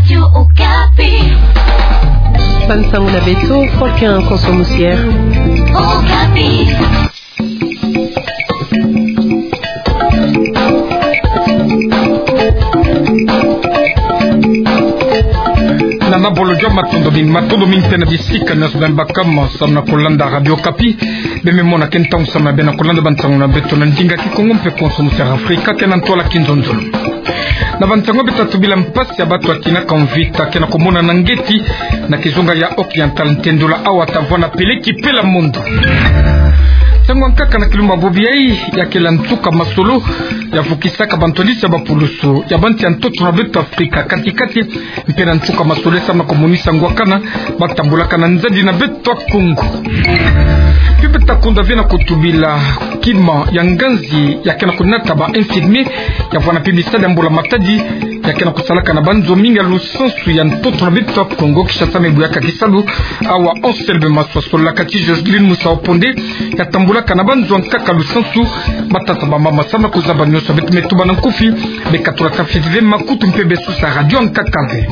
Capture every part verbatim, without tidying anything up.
Radio Okapi. Bansango na beto, Faustin Konso Musiere. Okapi. Nana bolo jwa matondo mingi, matondo mingi mpe na bisika nyonso beno baka samu na kolanda Radio Okapi. Beno me mona ke ntangu samu na beno kolanda bansango na beto na ndinga Kikongo mpe Konso Musiere Afrika, ke na ntwala Kinzonzolo. Na bansango beto tatu bila mpasi ya bato ya tinaka mvita ke na komonana ngeti na kizunga ya Occidental, ntendola awa tavwanda peleki pela mondo. Ntangu ya nkaka na kilumbu bobo yayi, ya kele nsuka masolo ya vukisaka bantwadisi ya bapulusu ya bansi ya ntoto na beto Afrika kati-kati, mpe na nsuka masolo samu na komonisa ngwakana ba tambulaka na nzadi na beto Kongo. Mpe beto ta kunda ve na kotubila kima ya nganzi ya ke na konata ba infirmier ya vwanda mpe misala ya mbula matadi ya ke na kosalaka na banzo mingi ya lusansu ya ntoto na beto Kongo. Kinshasa me buyaka kisalu awa Anselme Maswa, solaka ti Joseline Musa Oponde, ya tambulaka na banzo ya nkaka lusansu, batata, bamama samu na kozaba nyonso. Beto me tuba na nkufi, beka tulaka fioti ve makutu mpe besosa radio ya nkaka ve.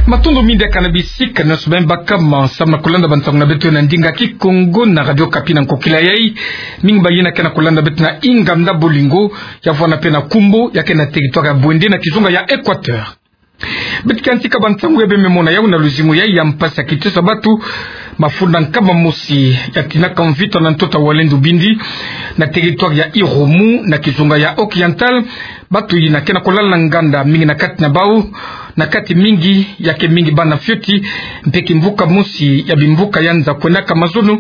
Matondo mingi diaka na bisika nyonso beno baka samu na kolanda bansango na beto na ndinga Kikongo na Radio Okapi na nkokila yayi. Mingi bayina ke na kolanda beto na Inganda Bolingo, ya vwanda mpe na Kumbo, ya ke na territoire ya Bouendé na kizunga ya Équateur. Beto ke yantika bansango ya beno me mona yawu na luzingu yayi ya mpasi ya kitosa bato. Mafunda nkama mosi ya tinaka mvita na ntoto ya Walendu Bindi, na territoire ya Irumu na kizunga ya Occidental. Bato yina ke na kolala na nganda, mingi na kati na bawu, na kati mingi, ya ke mingi bana fioti, mpe kimvuka mosi ya bimvuka ya nza kwendaka mazono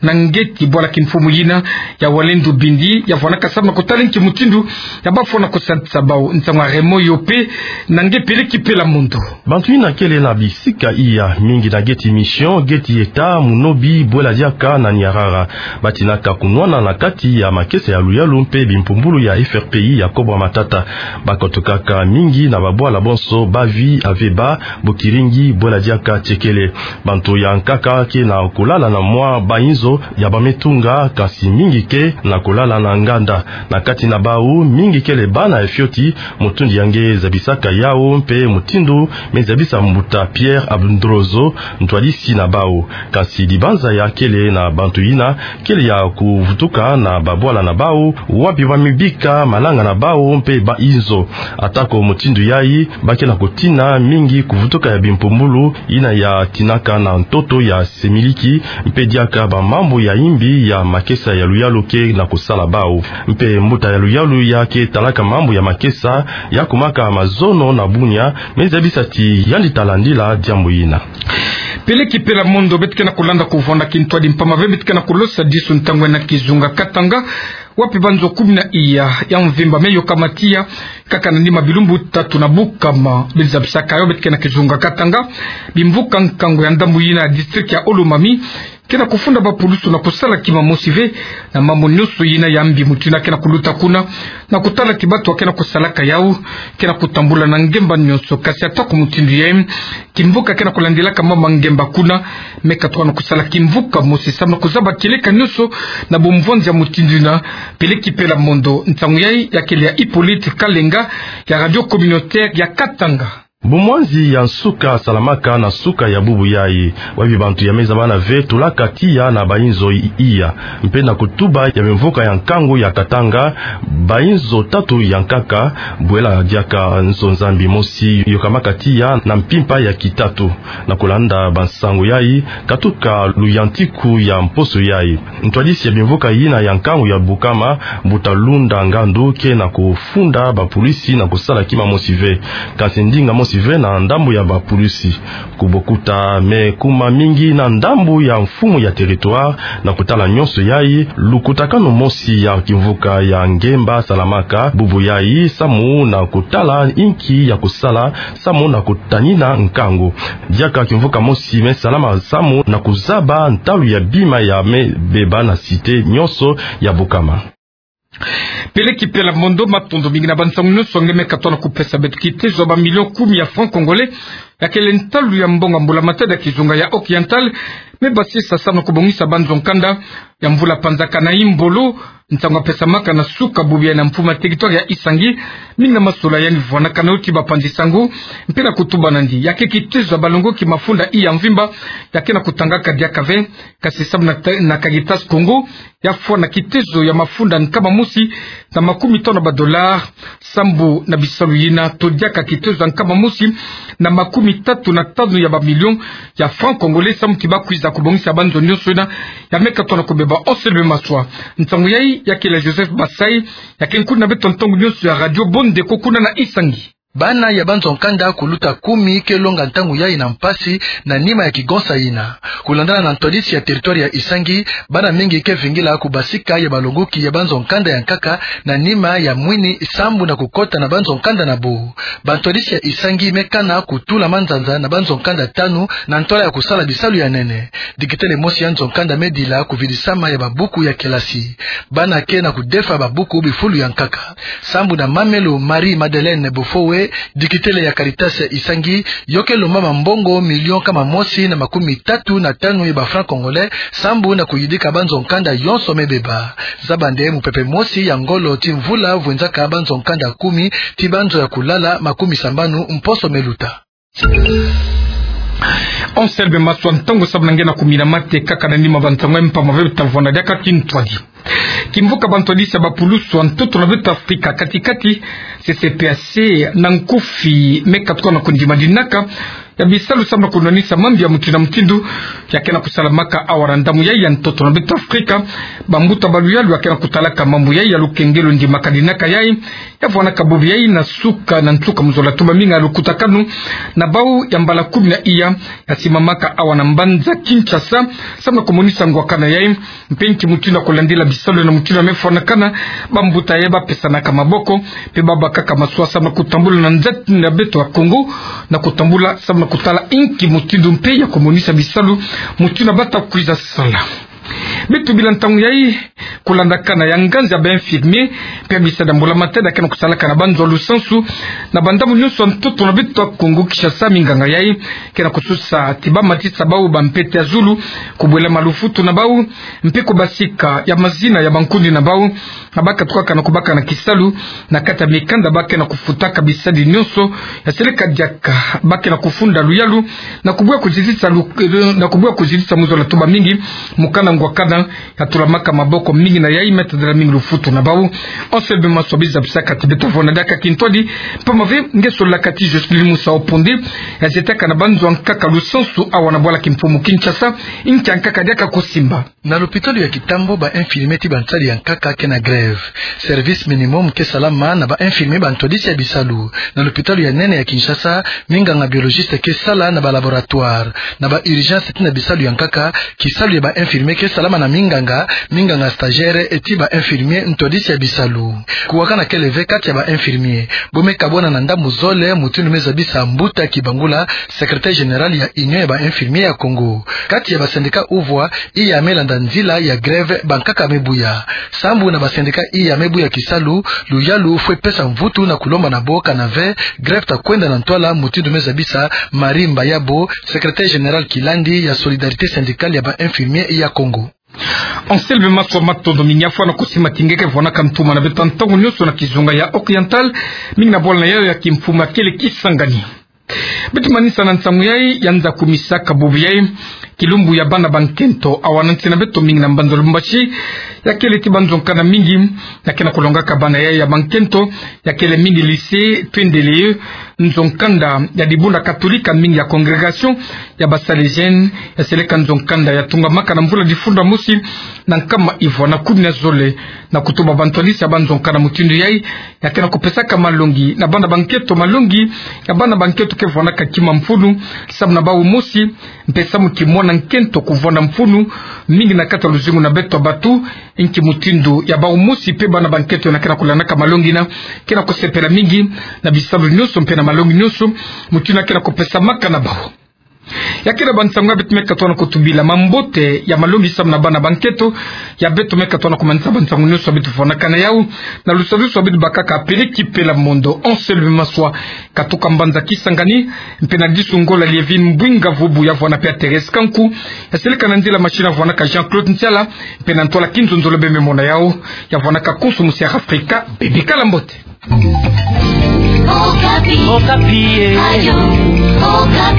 na ngeti bwala kimfumu yina ya Walendu Bindi, ya vwandaka samu na kotala nki mutindu ya bafwana kosadisa bawu. Nsangu ya Raymond Yope, na nge peleki pela mondo. Bantu yina kele na bisika iya mingi na ngeti Mission, ngeti État, Munobi, Bwela Diaka na Niarara. Ba tinaka kunwana na kati ya makesa ya luyalu mpe bimpumbulu ya F R P I ya Cobra Matata. Ba kotukaka mingi na babwala bonso Bavi, Aveba, Bukiringi, Bwela Diaka, Tiekele. Bantu ya nkaka ke na kolala na mwa bainzo ya ba me tunga, kasi mingi ke na kolala na nganda. Na kati na bawu, mingi kele bana ya fioti. Mutindu ya nge zabisaka yawu mpe mutindu me zabisa mbuta Pierre Abundrozo, ntwadisi na bawu. Kasi dibanza ya kele na bantu yina kele ya kuvutuka na babwala na bawu, wapi ba me bika malanga na bawu mpe bainzo. Atako mutindu yayi, ba ke na kotina mingi kuvutuka ya bimpumbulu yina ya tinaka na ntoto ya semiliki, mpe diaka bamambu ya imbi ya makesa ya luyalu ke na kosala bawu. Mpe mbuta ya luyalu ya ke talaka mambu ya makesa ya kumaka mazono na Bunia, me zabisa ti yandi ta landila diambu yina. Peleki pela mondo, beto ke na kolanda kuvwanda kintwadi mpamba ve beto ke na kolosadisu ntangu na kizunga Katanga, wapi banzo kumi na iya ya mvimba me yokama tiya, kaka na nima bilumbu tatu na Bukama. Beno zabisaka yo, beto ke na kizunga Katanga, bimvuka nkangu ya ndambu yina ya district ya Olomami ke na kufunda bapulusu na kosala kima mosi ve na mambu nyonso yina ya mbi mutindu ke na kuluta kuna, na kotala ti bato ke na kosalaka yawu ke na kotambula na ngemba nyonso. Kasi atako mutindu yayi, kimvuka ke na kolandilaka mama ngemba kuna, me katuka na kosala kimvuka mosi samu na kozaba kieleka nyonso na bomvwanzi ya mutindu yina. Peleki pela mondo, nsangu yayi ya kele ya Hippolyte Kalenga ya Radio Communautaire ya Katanga. Bomwanzi ya nsuka salamaka na nsuka ya bubu yayi, wapi bantu ya me zabana ve tulaka tiya na bainzo i-, iya, mpe na kutuba ya bimvuka ya nkangu ya Katanga, bainzo tatu ya nkaka, Bwela Diaka, nzo Nzambi mosi yokamaka tiya na mpimpa ya kitatu. Na kolanda bansangu yayi, katuka luyantiku ya mposo yayi, ntwadisi ya bimvuka yina ya nkangu ya Bukama, mbuta Lunda Ngandu, ke na kofunda bapulusi na kosala kima mosi ve, kasi ndinga mosi ve na ndambu ya bapulusi. Kubokuta me kuma mingi na ndambu ya mfumu ya territoire na kotala nyonso yayi, lukutakanu mosi ya kimvuka ya ngemba salamaka bubu yayi samu na kotala inki ya kosala samu na kotanina nkangu. Diaka kimvuka mosi me salama samu na kozaba ntalu ya bima ya me beba na cité nyonso ya Bukama. Peleki pela mondo, matondo mingi na bansangu nyonso nge me katuka na kopesa beto. Kitezo ya bamilio kumi ya francs congolais ya kele ntalu ya mbongo ya mbula matadi ya kizunga ya Occidental me basisa samu na kobongisa banzo nkanda ya mvula panzaka na Imbolo. Nsangu yapesamaka na suka bubu yayi na mfumu ya territoire ya Isangi, mingi na masolani yandi vwanakana yo ti bapanzi sango, mpe na kutuba nandi, ya ke kitezo ya balongoki mafunda iya mvimba ya ke na kutangaka diaka ve, kasi samu na ta-, na Caritas Congo, ya fwana kitezo ya mafunda nkama mosi na makumi tanu ya badollars, sambu na bisalu yina, to diaka kitezo ya nkama mosi na makumi tatu na tanu ya bamilio ya francs congolais, samu ti bakwiza kubongisa banzo nyonso yina ya meka tona kubeba. Anselme Maswa. Nsangu yayi ya kele Joseph Basai, ya ke nkuni na beto ntangu nyonso ya Radio Bondeko kuna na Isangi. Bana ya banzo nkanda kuluta kumi ke longa ntangu yayi na mpasi na nima ya kigonsa yina. Kulandana na ntwadisi ya territoire ya Isangi, bana mingi ke vingila kubasika ya balongoki ya banzo nkanda ya nkaka na nima ya mwini sambu na kukota na banzo nkanda na bo. Bantwadisi ya Isangi me kana kutula manzanza na banzo nkanda tanu na ntwala ya kusala bisalu ya nene. Dikitele mosi ya nzo nkanda me dila kuvidisama ya babuku ya kelasi. Bana ke na kudefa babuku bifulu ya nkaka. Sambu na mamelo Marie Madeleine Bofowe, dikitele ya Caritas ya Isangi, yo ke lomba mambongo million nkama mosi na makumi tatu na tanu ya ba francs congolais, sambu na kuyidika banzo nkanda yonso me beba. Zaba nde mupepe mosi ya ngolo ti mvula vwenzaka banzo nkanda kumi ti banzo ya kulala makumi sambanu mposo me luta. Anselme Maswa, ntangu samu na nge na kumina mate kaka na nima bansangu ya mpamba ve beta vwanda diaka kintwadi. Kimvuka bantwadisi ya bapulusu ya ntoto na beto Afrika kati-kati, C C P A C, na nkufi, me katuka na kundima dinaka ya bisalu samu na kunwanisa mambi ya mutindu na mutindu ya ke na kusalamaka awa na ndambu yayi ya ntoto na beto Afrika. Bambuta ba luyalu ya ke na kutalaka mambu yayi ya lukengelo ndimaka dinaka yayi ya vwanaka bubu yayi na suka na nsuka mu zola tuba mingi ya lukutakanu na bawu ya mbala kumi na iya ya simamaka awa na mbanza Kinshasa, samu na kumonisa ngwakana yayi, mpe nki mutindu ya kulandila bisalu na mutindu ya me fwanakana. Bambuta yayi bapesanaka maboko, mpe babakaka masuwa samu na kutambula na nzati na beto ya Kongo, na kutambula samu na kutala nki mutindu mpe ya kumonisa bisalu mutindu ya bata kwiza sala. Beto bila ntangu yayi, kulandakana ya nganzi ya ba infirmier, mpe ya bisadi ya mbula matadi ya ke na kusalaka na banzo ya lusansu na bandambu nyonso ya ntoto na beto ya Kongo Kinshasa, minganga yayi ke na kususa ti bamatisa bawu bampete ya zulu, kubwela malufutu na bawu, mpe kubasika ya mazina ya bankundi na bawu, na ba katukaka na kubaka na kisalu na kati ya mikanda ba ke na kufutaka bisadi nyonso ya seleka diaka, ba ke na kufunda luyalu na kubuya kuzitisa lu-, na kubuya kuzitisa mu zola tuba mingi, mukana ngwakana ya tulamaka maboko mingi na yayi me tadila mingi lufutu na bawu. Anselme Maswa, biza bisaka ti beta vwanda diaka kintwadi, mpamba ve nge solaka ti Jocelyne Musa Oponde, ya zietaka na banzo ya nkaka lusansu awa na bwala kimfumu Kinshasa, nki ya nkaka diaka kusimba. Na lopitalo ya Kitambo, ba infirmier ti bansadi ya nkaka ke na grève. Service minimum ke salama na ba infirmier bantwadisi ya bisalu. Na lopitalo ya nene ya Kinshasa, minganga biologiste ke sala na ba laboratoire. Na ba urgence ti na bisalu ya nkaka, kisalu ya ba infirmier ke salama na minganga, minganga stagiaire ti ba infirmier ntwadisi ya bisalu. Kuwakana kele ve kati ya ba infirmier. Bo me kabwana na ndambu zole, mutindu me zabisa Mbuta Kibangula, secrétaire général ya Union ya ba infirmier ya Kongo. Kati ya ba syndicat uvwa, iya me landa nzila ya grève bankaka me buya. Sambu na ba syndicat iya me buya kisalu, luyalu fwe pesa mvutu na kulomba na bo kana ve grève ta kwenda na ntwala, mutindu me zabisa Marie Mbayabo, secrétaire général kilandi ya Solidarité syndicale ya ba infirmier ya Kongo. Anselme Maswa, matondo mingi, afwa na kusimba ti nge ke vwanaka ntuma na beto ntangu nyonso na kizunga ya Oriental, mingi na bwala na yayo ya kimfumu ya kele Kisangani. Beto manisa na nsangu yayi ya nza kumisaka bubu yayi, kilumbu ya bana bankento awa na nsi na beto, mingi na mbanza Lubumbashi, ya kele ti banzo nkanda mingi ya ke na kulongaka bana yayi ya bankento, ya kele mingi lycée Twendele, nzo nkanda ya dibundu katolika, mingi ya congrégation ya ba Salesiens, ya seleka nzo nkanda ya tungamaka na mvula difunda mosi na nkama ivwa na kumi na zole, na kutuba bantwadisi ya banzo nkanda mutindu yayi ya ke na kupesaka malongi na bana bankento, malongi ya bana bankento ke vwanaka kima mfunu, samu na bawu mosi, mpe samu ki mwana nkento kuvwanda mfunu mingi na kati ya luzingu na beto batu. Nki mutindu ya bawu mosi mpe bana bankento yina ke na kulandaka malongi yina ke na kusepela mingi na bisalu nyonso mpe na malongi nyonso, mutindu yina ke na kupesamaka na bawu. Ya kina bansango ya beto me katuana kotubila. Mambote ya malongi samu na bana ba nketo ya beto me katuana kumanisa bansango nyonso ya beto fwanakana yau. Na lusadusu ya beto bakaka Peleki Pela Mondo, Anselme Maswa, katuka mbanza Kisangani, mpe na disu Ngola Lievine Mbwinga Vubu ya vwana mpe ya Thérèse Kanku, ya seleka na nzila machine ya vwanaka Jean-Claude Ntiala, mpe na ntwala Kinzonzolo Bembe Mona yau, ya vwanaka konso Musi'Afrika, bebikala mbote. Okapi. Okapi, eh. Ayo. Okapi.